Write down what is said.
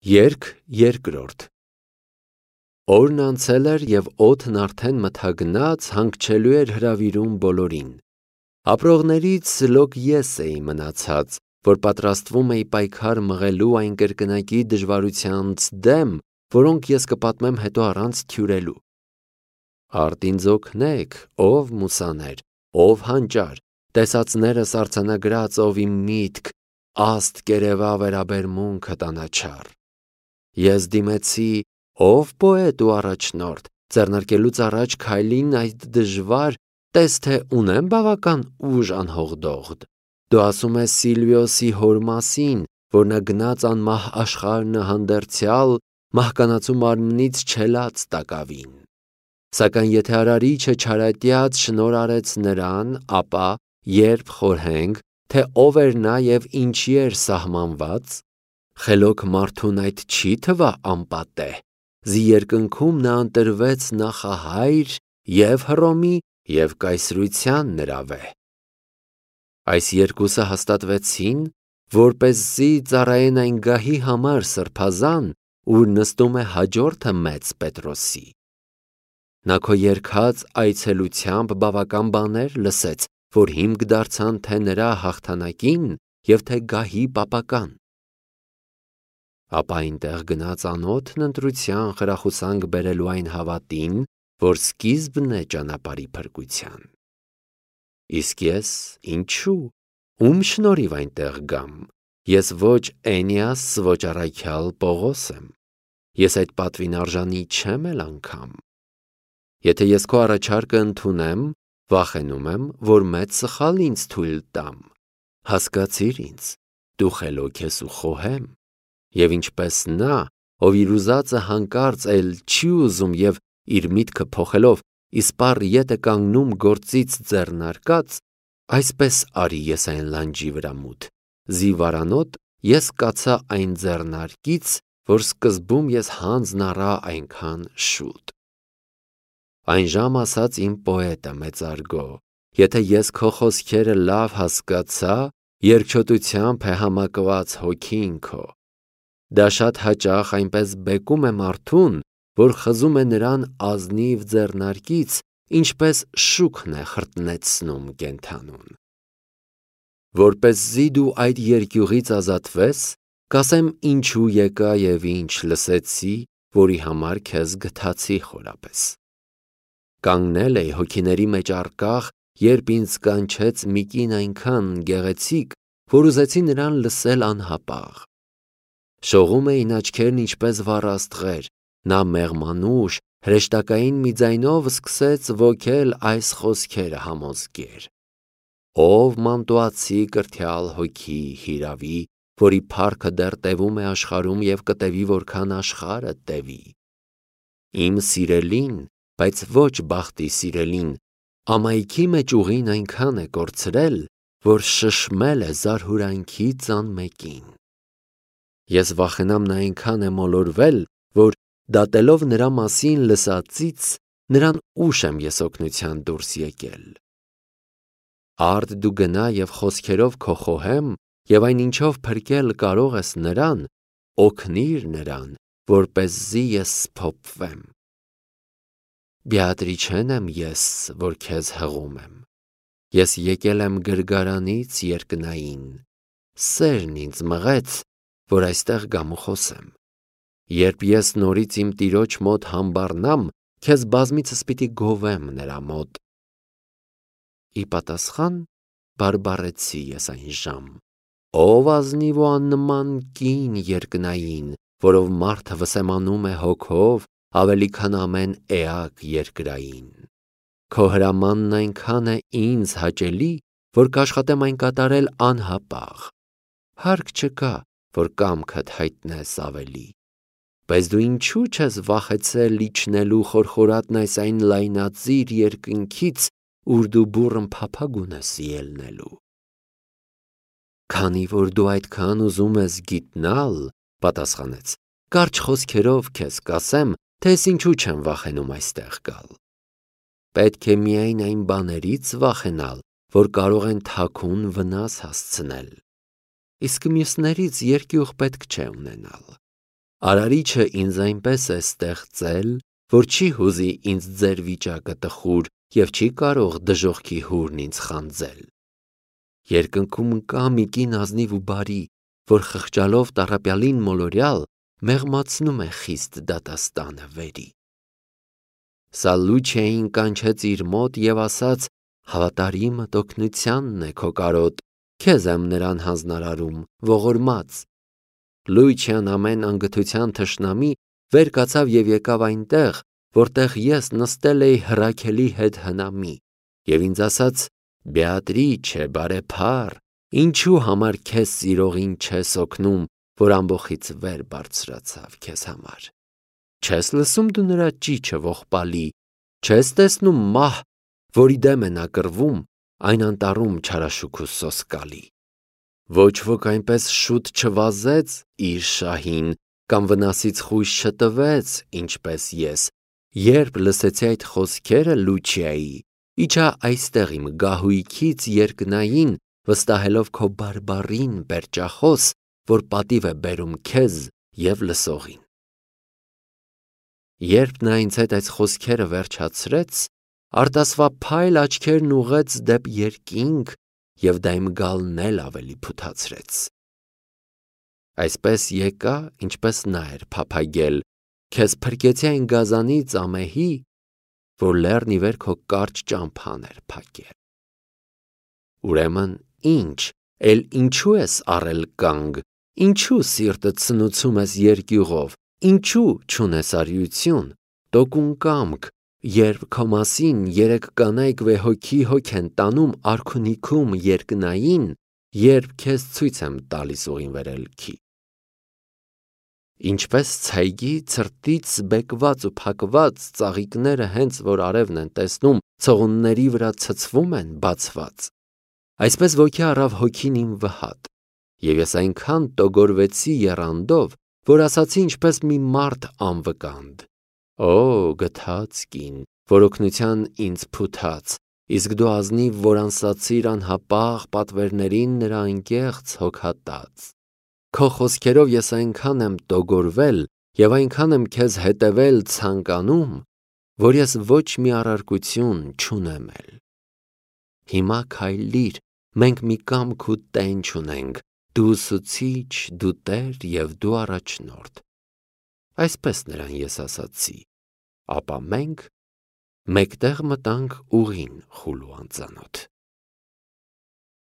Երգ երկրորդ Օրն անցել էր և օդն արդեն մթագնաց հանգչելու էր հրավիրում բոլորին։ Ապրողներից լոկ ես էի մնացած, որ պատրաստվում էի պայքար մղելու այն կրկնակի դժվարությանց դեմ, որոնք ես կպատմեմ հետո առանց թյուրելու։ Արդ ինձ օգնեք, ով մուսաներ, ով հանճար, տեսածներս արձանագրած, ով իմ միտք, աստ կերևա վերաբերմունքդ անաչառ։ Ես դիմեցի, ով պոետ ու առաջնորդ, ձեռնարկելուց առաջ քայլին այդ դժվար, տես թե ունեմ բավական ուժ անհողդողդ։ Դու ասում ես Սիլվիոսի հոր մասին, որ նա գնաց անմահ աշխարհը հանդերձյալ, մահկանացու մարմնից չելած տակավին։ Սակայն եթե արարիչը չարատյաց շնոր արեց նրան, ապա երբ խորհենք, թե ով էր նա և ինչի էր սահմանված, խելոք մարդուն այդ չի թվա անպատեհ, զի երկնքում նա ընտրվեց նախահայր և Հռոմի և կայսրության նրա վեհ։ Այս երկուսը հաստատվեցին, որպեսզի ծառայեն այն գահի համար սրբազան, ուր նստում է հաջորդը մեծ Պետրոսի։ Նա քո երգած այցելությամբ բավական բաներ լսեց, որ հիմք դարձան թե նրա հաղթանակին և թե գահի պապական։ Ապա այնտեղ գնաց անոթն ընտրության խրախուսանք բերելու այն հավատին, որ սկիզբն է ճանապարհի փրկության։ Իսկ ես ինչու, ում շնորհիվ այնտեղ գամ, ես ոչ Էնիաս, ոչ առաքյալ Պողոս եմ, ես այդ պատվին արժանի չեմ էլ անգամ։ Եթե ես քո առաջարկը ընդունեմ, վախենում եմ, որ մեծ սխալ ինձ թույլ տամ։ Հասկացիր ինձ, դու խելոք ես ու խոհեմ, և ինչպես նա, ով իր ուզածը հանկարծ էլ չի ուզում և իր միտքը փոխելով իսպառ ետ է կանգնում գործից ձեռնարկած, այսպես արի ես այն լանջի վրա մութ, զի վարանոտ ես կացա այն ձեռնարկից, որ սկզբում ես հանձն առա այնքան շուտ։ Այն ժամ ասաց իմ պոետը մեծարգո, եթե ես քո խոսքերը լավ հասկացա, երկչոտությամբ է համակված հոգին քո։ Դա շատ հաճախ այնպես բեկում է մարդուն, որ խզում է նրան ազնիվ ձեռնարկից, ինչպես շուքն է խրտնեցնում կենդանուն։ Որպեսզի դու այդ երկյուղից ազատվես, կասեմ ինչու եկա և ինչ լսեցի, որի համար քեզ գթացի խորապես։ Կանգնել էի հոգիների մեջ առկախ, երբ ինձ կանչեց մի կին այնքան գեղեցիկ, որ ուզեցի նրան լսել անհապաղ։ Շողում էին աչքերն ինչպես վառ աստղեր, նա մեղմանուշ, հրեշտակային մի ձայնով սկսեց ոգել այս խոսքերը համոզկեր. Ով մանտուացի կրթյալ հոգի հիրավի, որի փառքը դեռ տևում է աշխարհում և կտևի որքան աշխարհը տևի։ Իմ սիրելին, բայց ոչ բախտի սիրելին, ամայքի մեջ ուղին այնքան է կորցրել, որ շշմել է զարհուրանքի ծանմեկին։ Ես վախենամ նա այնքան է մոլորվել, որ դատելով նրա մասին լսածից, նրան ուշ եմ ես օգնության դուրս եկել։ Արդ դու գնա և խոսքերով քո խոհեմ և այն ինչով փրկել կարող ես նրան, օգնիր նրան, որպեսզի ես սփոփվեմ։ Բեատրիչեն եմ ես, որ քեզ հղում եմ։ Ես եկել եմ գրգարանից երկնային, սերն ինձ մղեց, որ այստեղ գամ ու խոսեմ։ Երբ ես նորից իմ տիրոջ մոտ համբառնամ, քեզ բազմիցս պիտի գովեմ նրա մոտ։ Ի պատասխան բարբառեցի ես այն ժամ. ով ազնիվ ու աննման կին երկնային, որով մարդը վսեմանում է հոգով ավելի քան ամեն էակ երկրային։ Քո հրամանն այնքան է ինձ հաճելի, որ կաշխատեմ այն կատարել անհապաղ։ Հարկ չկա, որ կամքդ հայտնես ավելի։ Բայց դու ինչու չես վախեցել իջնելու խորխորատն այն լայնածիր երկնքից, ուր դու բուռն փափագ ունես ելնելու։ Քանի որ դու այդքան ուզում ես գիտնալ, պատասխանեց, կարճ խոսքերով քեզ կասեմ, թե ես ինչու չեմ վախենում այստեղ գալ։ Պետք է միայն այն բաներից վախենալ, որ կարող են թաքուն վնաս հասցնել։ Իսկ մյուսներից երկյուղ պետք չէ ունենալ։ Արարիչը ինձ այնպես է ստեղծել, որ չի հուզի ինձ ձեր վիճակը տխուր և չի կարող դժոխքի հուրն ինձ խանձել։ Երկնքում կա մի կին ազնիվ ու բարի, որ խղճալով տառապյալին մոլորյալ մեղմացնում է խիստ դատաստանը վերի։ Սա Լուչիային կանչեց իր մոտ և ասաց. «Հավատարիմդ օգնությանն է քո կարոտ, քեզ եմ նրան հանձնարարում, ողորմած»։ Լուչիան ամեն անգթության թշնամի վեր կացավ և եկավ այնտեղ, որտեղ ես նստել էի հրաքելի հետ հնամի, և ինձ ասաց. «Բեատրիչե, բարեփառ, ինչու համար քեզ սիրողին չես օգնում, որ ամբոխից վեր բարձրացավ քեզ համար։ Չես լսում դու նրա ճիչը ողբալի, չես տեսնում մահ, որի դեմ է նա կռվում, այն անտառում չարաշուք ու սոսկալի։ Ոչ ոք այնպես շուտ չվազեց իր շահին, կամ վնասից խույս չտվեց, ինչպես ես, երբ լսեցի այդ խոսքերը Լուչիայի, իջա այստեղ իմ գահույքից երկնային, վստահելով քո բարբառին պերճախոս, որ պատիվ է բերում քեզ և լսողին»։ Երբ նա ինձ հետ այս խոսքերը վերջացրեց, արտասվափայլ աչքերն ուղղեց դեպ երկինք և դայմգալն էլ ավելի փութացրեց։ Այսպես եկա, ինչպես նա էր փափագել, քեզ փրկեցի այն գազանից ամեհի, որ լեռն ի վեր քո կարճ ճամփան էր փակել։ Ուրեմն ինչ, էլ ինչու ես առել կանգ, ինչու սիրտդ սնուցում ես երկյուղով, ինչու չունես արիություն, տոկուն կամք, երբ քո մասին երեք կանայք վեհոգի հոգ են տանում արքունիքում երկնային, երբ քեզ ցույց եմ տալիս ուղին վերելքի։ Ինչպես ցայգի ցրտից բեկված ու փակված ծաղիկները հենց որ արևն են տեսնում, ցողունների վրա ցցվում են բացված, այսպես ոգի առավ հոգին իմ վհատ, և ես այնքան տոգորվեցի եռանդով, որ ասացի ինչպես մի մարդ անվկանդ. «Օ, գթած կին, որ օգնության ինձ փութաց, իսկ դու ազնիվ որ անսացիր անհապաղ պատվերներին նրա անկեղծ հոգատած։ Քո խոսքերով ես այնքան եմ տոգորվել և այնքան եմ քեզ հետևել ցանկանում, որ ես ոչ մի առարկություն չունեմ էլ։ Հիմա քայլիր, մենք մի կամք ու տենչ ունենք, դու ուսուցիչ, դու տեր և դու առաջնորդ»։ Այսպես նրան ես ասացի, ապա մենք մեկտեղ մտանք ուղին խուլ ու անծանոթ։